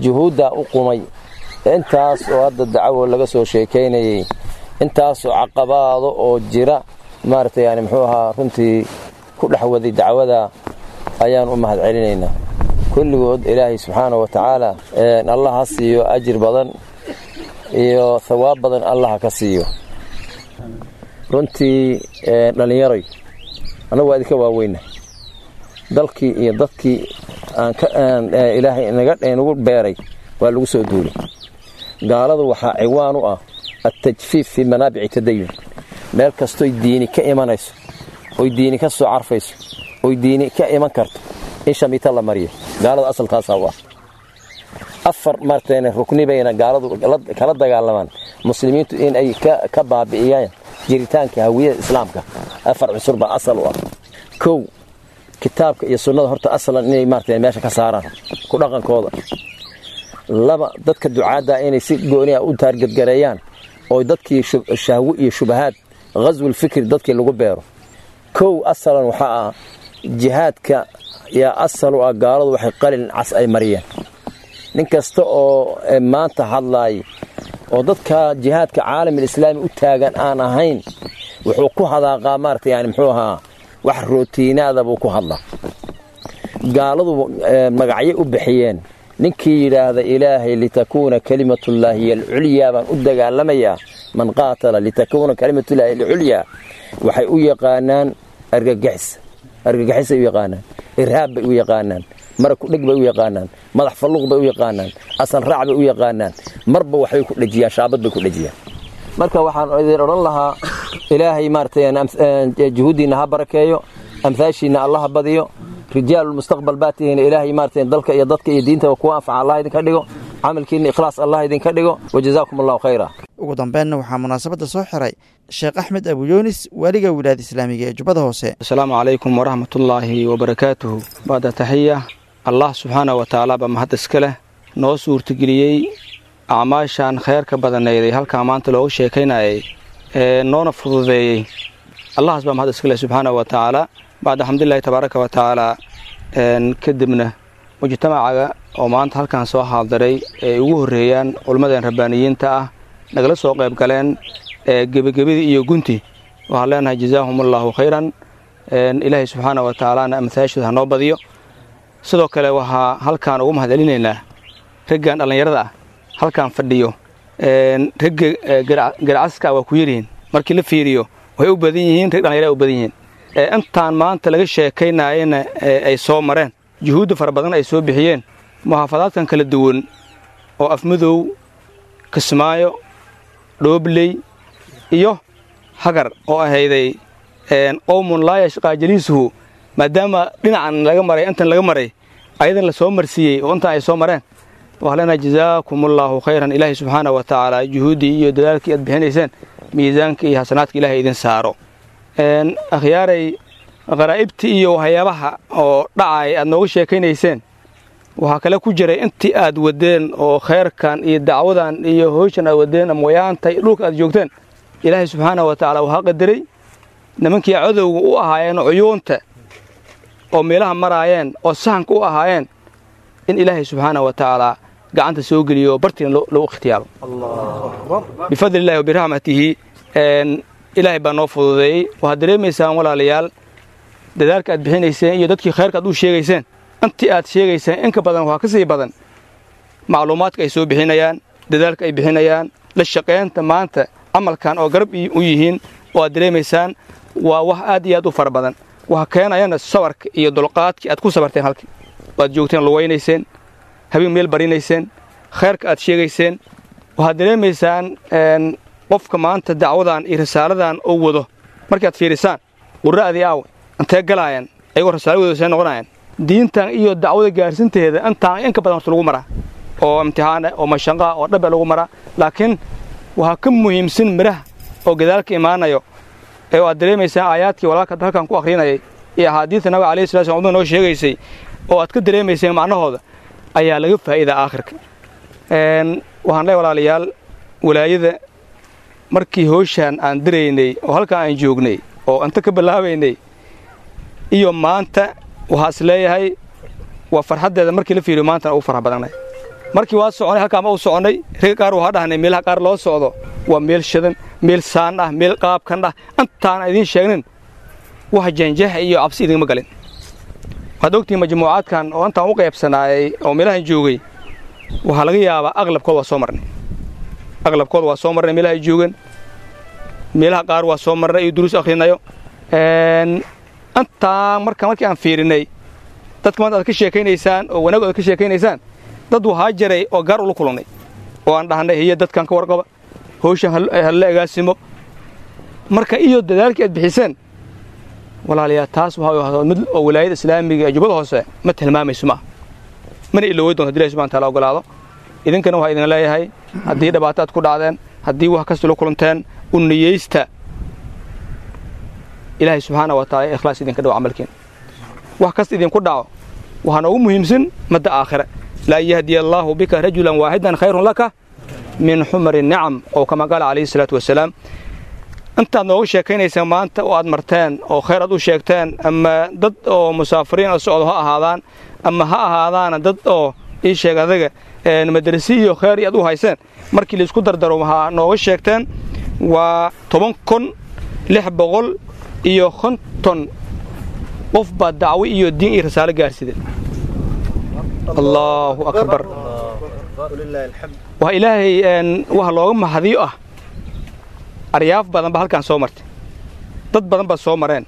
juhuuddaa u qumay intaas oo hadda dacwo laga soo sheekaynayey, intaasoo caqabaado oo jira maaragtay, yani muxuu ahaa, runtii ku dhex waday dacwada ayaan u mahad celinaynaa kulligood. Ilaahay subxaana wa tacaala Allah ha siiyo ajir badan iyo thawaab badan, Allah ha ka siiyo. Runtii dhallinyaroy, annagu waa idinka waaweyna. Dalkii iyo dadkii aan ka Ilaahay inagu beeray waa lagu soo duulay. Gaaladu waxaa ciwaan u ah attajfiif fii manaabici tadayun. Meel kastoy diini ka imanayso, oy diini ka soo carfayso, oy diini ka iman karto, in shamiita la mariyo gaalada asaltaasaa u ah. Afar marteen rukni bayna gaaladu kala dagaalamaan muslimiintu in ay ka baabi'iyaan jiritaanka hawiyada islaamka. Afar cusur baa asal u ah. Kow, kitaabka iyo sunnada horta asalan inay maartay meesha ka saaraan ku dhaqankooda. Laba, dadka ducaadda inay si gooni ah u taargadgareeyaan oo dadkii shahwo iyo shubahaad ghaswul fikri dadkii lagu beero. Kow, asalan waxaa ah jihaadka yaa asal u ah. Gaaladu waxay qalin cas ay mariyeen nin kasta oo maanta hadlaay oo dadka jihaadka caalamil islaami u taagan aan ahayn, wuxuu ku hadaaqaa maarata yani muxuu ahaa wax rootiinaada buu ku hadlaa. Gaaladu magacyo u bixiyeen ninkii yidhaahda Ilaahay litakuuna kalimatullaahi alculyaa baan u dagaalamayaa. Man qaatala litakuuna kalimatullaahi alculyaa waxay u yaqaanaan argagixis, argagixisay u yaqaanaan, irhaab bay u yaqaanaan, mara kudheg bay u yaqaanaan, madax falluuq bay u yaqaanaan, asal raac bay u yaqaanaan, marba waxbay ku dhejiyaan, shaabad bay ku dhejiyaan. Marka waxaan idin odhan lahaa, Ilaahay maaragtay juhuuddiinna ha barakeeyo, amhaashiinna Allaha badiyo. Rijaalulmustaqbal baa tihiin. Ilaahay maaragtay dalka iyo dadka iyo diintaba kuwa anfaca Allah idinka dhigo, camalkiinna ikhlaas Allah idinka dhigo, wajazaakum Allahu khayra. Ugu dambeynna waxaa munaasabadda soo xiray Sheekh Axmed Abuyoonis, waaliga wilaayada islaamiga ee Jubbada Hoose. Asalaamu calaykum waraxmatullaahi wabarakaatuhu. Bacda taxiya, Allah subxaana wa tacaala baa mahad iska leh noo suurtageliyey acmaashan kheyrka badanayday halkaa maanta looga sheekaynayay ee noona fududeeyey. Allahaas baa mahad iska leh subxaana wa tacaala. Bacda alxamdulilahi tabaaraka wa tacaala, kadibna mujtamacaga oo maanta halkan soo xaadiray ee ugu horreeyaan culimmadan rabbaaniyiinta ah nagala soo qayb galeen ee gebagebadii iyo gunti, waxaan leenahay jazaahum Allahu khayran. Ilaahay subxaana wa tacaalana amhaashooda ha noo badiyo. Sidoo kale waxaa halkaan ugu mahad celinaynaa raggan dhallinyarada ah halkaan fadhiyo. Ragga garcaska waa ku yaryihiin markii la fiiriyo, waxay u badan yihiin rag dhalinyara u badan yihiin. Intaan maanta laga sheekaynayana ay soo mareen, juhuudda fara badan ay soo bixiyeen, muxaafadaadkan kala duwan oo Afmadow, Kismaayo, Dhoobley iyo Hagar oo ahayday qowmun laa yashqaa jaliisuhu, maadaama dhinacan laga maray, intan laga maray, ayadan la soo marsiiyey oo intan ay soo mareen, waxaan leenahay jazaakumullaahu khayran. Ilaahay subxaana wa tacaala juhuuddii iyo dadaalkii aad bixinayseen miisaanka iyo xasanaadka Ilaahay idin saaro. Akhyaaray, qaraa'ibtii iyo waxyaabaha oo dhacay aad nooga sheekaynayseen, waxaa kale ku jiray intii aad wadeen oo khayrkan iyo dacwadan iyo howshan aad wadeen ama wayaanta iyo dhulka aad joogteen, Ilaahay subxaana wa tacaala waxaa qadaray nimankii cadowga u ahaayeen cuyuunta oo meelaha maraayeen oo sahanka u ahaayeen in Ilaahay subxaana wa tacaala gacanta soo geliyo, bartiina lagu ikhtiyaaro bifadli illahi wa biraxmatihi. Ilaahay baa noo fududeeyey. Waxaad dareemaysaan, walaalayaal, dadaalka aad bixinayseen iyo dadkii khayrka aad u sheegayseen, intii aad sheegayseen in ka badan waxaa ka sii badan macluumaadka ay soo bixinayaan, dadaalka ay bixinayaan, la shaqaynta maanta camalkan oo garab u yihiin oo aad dareemaysaan waa wax aad iyo aad u fara badan. Waxa keenayana sabarka iyo dulqaadkii aad ku sabarteen halkii oo aad joogteen, lugaynayseen, habeen meel barinayseen, khayrka aad sheegayseen. Waxaad dareemaysaan qofka maanta dacwadan iyo risaaladan oo wado markaad fiirisaan, qura'dii aawe intee galaayaan ayagoo risaaladooda see noqonayaan. Diintan iyo dacwada gaarsinteeda intaan in ka badan horta lagu maraa oo imtixaan ah oo mashanqa oo dhabe lagu maraa, laakiin waxaa ka muhiimsan midhaha oo gadaalka imaanayo ee aad dareemaysaan aayaadkii walaalka halkan ku akhrinayay iyo axaadiista Nabiga alayhi salatu wasallam noo sheegaysay oo aad ka dareemayseen macnahooda ayaa laga faa'iidaa aakhirka. Waxaan leeyahay, walaalayaal, walaayada markii howshaan aan diraynay oo halkan aan joognay oo inta ka bilaabaynay iyo maanta, waxaa is leeyahay waa farxaddeeda markii la fiiriyo maantana ugu farx badanay. Markii waa soconay halkaan ma u soconay, ragga qaar waxaa dhahnay meelaha qaar loo socdo waa meel shidan, meel saan ah, meel qaabkan ah. Intaan idiin sheegnin wax janjaha iyo cabsi idinma galin. Waxaad ogtihiin majmuucaadkan oo intaan u qaybsanaayay oo meelahan joogay, waxaa laga yaabaa aqlabkooda waa soo marnay, aqlabkooda waa soo marnay meelaha ay joogeen, meelaha qaar waa soo marnay iyo duruus akhrinayo. Intaa marka markii aan fiirinay Dadka maanta aad ka sheekaynaysaan oo wanaag aad ka sheekaynaysaan, dad waxaa jiray oo gaar ula kulannay oo aan dhahnay hiyo dadkan ka warqaba, howshan hala agaasimo. Marka iyo dadaalkii aad bixiseen walaalayaal, taas waxaa mid oo wilaayada islaamiga ee Jubbada Hoose ma tilmaamayso, maaha, mana ilowey doonto hadii Ilahi subxana wataala ogolaado. Idinkana waxaa idin leeyahay, haddii dhibaato aad ku dhacdeen, haddii wax kasta la kulanteen, u niyeysta Ilaahay subxaana wa taala ikhlaas idinka dhawo camalkiin. Wax kasta idinku dhaco, waxaana ugu muhiimsan madda aakhire. Laa yahdiya allaahu bika rajulan waaxidan khayrun laka min xumari nicam, oo kama qaala calayhi salaatu wasalaam. Intaad nooga sheekaynaysaan maanta oo aad marteen oo khayr aad u sheegteen, ama dad oo musaafiriin oo socdo ha ahaadaan, ama ha ahaadaana dad oo ii sheeg adaga madrasi iyo khayr iyo aad u hayseen, markii laisku dardaro waxaa nooga sheegteen waa 10,650 qof baa dacwo iyo diin iyo rasaalo gaarsideen. Allaahu akbar! Waa Ilaahay waxa looga mahadiyo ah. Aryaaf badan ba halkaan soo martay, dad badan baa soo mareen,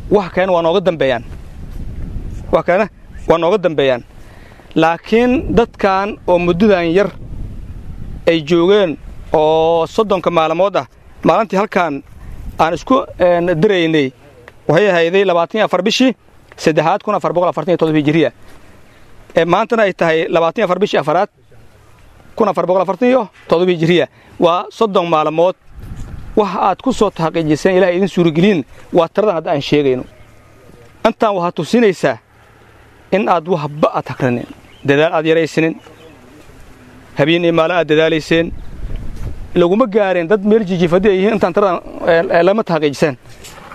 wax kalena waa nooga dambeeyaan, wax kalena waa nooga dambeeyaan. Laakiin dadkan oo muddadan yar ay joogeen oo 30-ka maalmood ah, maalintii halkaan aan isku diraynay waxay ahayday 24 bishii saddexaad 1447 hijiriya, ee maantana ay tahay 24 bishii afaraad 1447 hijiriya, waa 30 maalmood. Wax aad ku soo taxqiijiseen, Ilahay idin suurogeliin, waa tiradan hadda aan sheegayno. Intaan waxaad tusinaysaa in aad waxba aad hagranin, dadaal aad yaraysanin, habeen iyo maalin aad dadaalayseen. Laguma gaareen dad meel jijiif haddii ay yihiin intaan tiradan lama taxqiijiseen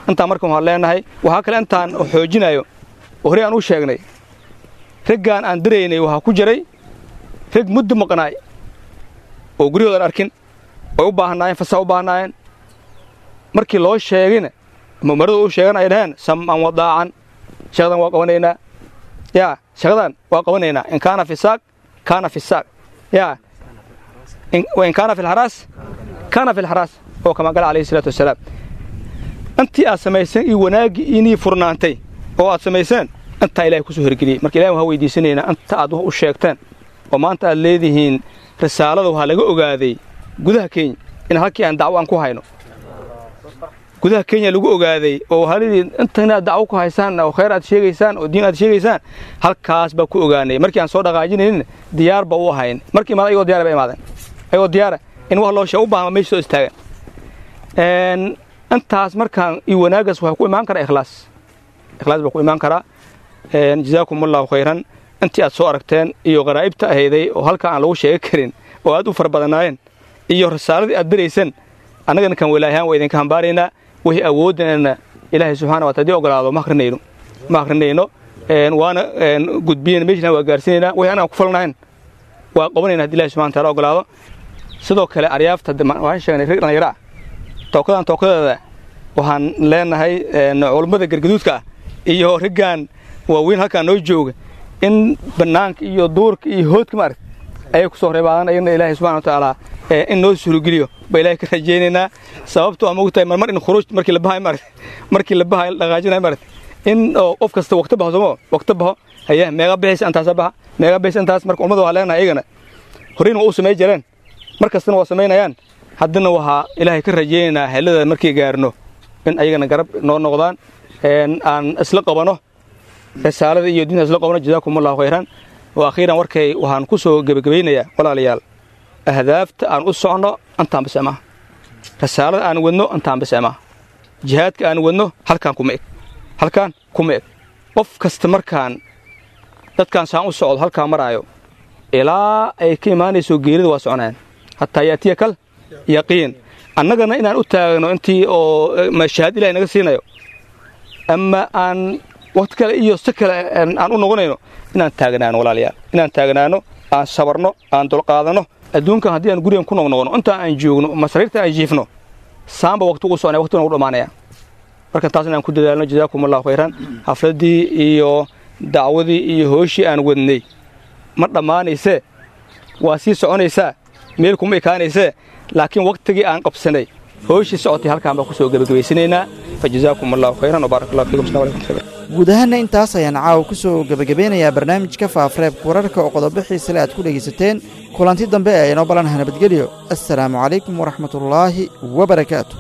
intaan. Marka waxaan leenahay, waxaa kale intaan xoojinayo oo horey aan u sheegnay, raggaan aan diraynay waxaa ku jiray rag muddo maqnaay oo guryahoodan arkin, oy u baahnaayeen fasax u baahnaayeen. Markii loo sheegayna ama umaradu u sheegan, ay dhaheen sam'an wadaacan, shaqadan waa qabanaynaa, yaa shaqadan waa qabanaynaa, in kaana fi saaq kaana fi saaq, yaa in kaana fi lxaraas kaana fi lxaraas, oo kama qala calayhi salaatu wasalaam. Intii aad samayseen iyo wanaaggii inii furnaantay oo aad samayseen, intaa Ilahay kusoo hirgeliyey. Marka Ilahi waxaa weydiisanaynaa inta aad wax u sheegteen oo maanta aad leedihiin risaalada waxaa laga ogaaday gudaha Kenya, in halkii aan dacwo aan ku hayno gudaha Kenya lagu ogaaday, oo waxaa leedihiin inta inaad dacwo ku haysaan oo khayr aad sheegaysaan oo diin aad sheegaysaan, halkaas baa ku ogaanay. Markii aan soo dhaqaajinaynin diyaar ba u ahayn, markii imaada ayagoo diyaar ba imaadeen, ayagoo diyaara in wax loo sheego u baahan meesha soo istaagan. Intaas markaan iyo wanaaggaas waxaa ku imaan karaa ikhlaas, ikhlaas baa ku imaan karaa. Jazaakum allahu khayran. Intii aad soo aragteen iyo qaraa'ibta ahayday oo halkaa aan lagu sheegi karin oo aad u fara badanaayeen iyo risaaladii aad dirayseen, annagana kan walaayahaan waa idinka hambaaraynaa. Wixii awooddanana Ilaahay subxana wa taala hadii ogolaado ma akrinayno, ma akrinayno, waana gudbiyeyna, meeshana waa gaarsiinaynaa. Wixii anaan ku falnahayn waa qabanayna hadii Ilahay subxana wa taala ogolaado. Sidoo kale aryaafta waxaan sheegnay rag dhallinyaro ah tookadan tookadeeda waxaan leenahay culummada gargaduudka ah iyo raggan waaweyn halkaan noo jooga in bannaanka iyo duurka iyo hoodka maaragt ayay ku soo reebaadaan. Ayagna Ilaahay subxana wa tacaala in noo suurogeliyo ba Ilahay ka rajaynaynaa. Sababto ama ogtahay marmar in khuruuj markii la bahayo maaragt, markii la bahayo la dhaqaajinayo maaragt, in oo qof kasta waqti baxo somo waqti baxo haye meeqa bixaysa intaasa baxa, meeqa bixaysa intaas. Marka ummada waxaa leenahay ayagana horeyna waa u samay jireen, mar kastana waa samaynayaan, haddana waxaa Ilaahay ka rajaynaynaa helada markii gaarno in ayagana garab noo noqdaan, aan isla qabano risaalada iyo diinta isla qabano. Jazaakum allahu khayran. Wa akhiiran, warkay waxaan ku soo gebagabaynayaa, walaalayaal, ahdaafta aan u socno intaan bas maaha, risaalada aan wadno intaan bas maaha, jihaadka aan wadno halkaan kuma eg, halkaan kuma eg. Qof kasta markaan dadkaan saan u socdo halkaan maraayo ilaa ay ka imaanayso geerida waa soconayaan, hataa yaatiya kal yaqiin. Annagana inaan u taagno intii oo mashaahad Ilahay naga siinayo ama aan waqti kale iyo si kale aan u noqonayno, inaan taagnaano walaalayaal, inaan taagnaano, aan sabarno, aan dulqaadanno. Adduunkan haddii aan gurigan ku noqnoqono, inta aan joogno masariirta aan jiifno, saanba waqti ugu soconaya, waqtiguna ugu dhammaanaya. Marka taas inaan ku dadaalno. Jazaakum allahu khayran. Xafladdii iyo dacwadii iyo hooshii aan wadnay ma dhammaanaysee, waa sii soconaysaa, meel kuma ekaanaysee, laakiin waqtigii aan qabsanay hooshii socotay halkaan baan ku soo gebagabaysanaynaa. Fa jazaakum allahu khayran wabaarak allahu fiikum. Assalamu alaykum. Guud ahaanna intaas ayaan caawa ku soo gebagabeynayaa barnaamijka Faafareebka Wararka oo qodobo xiisale aad ku dhegaysateen. Kulanti dambe ee inoo balanaha nabadgelyo. Assalaamu calaykum waraxmatullaahi wabarakaatu.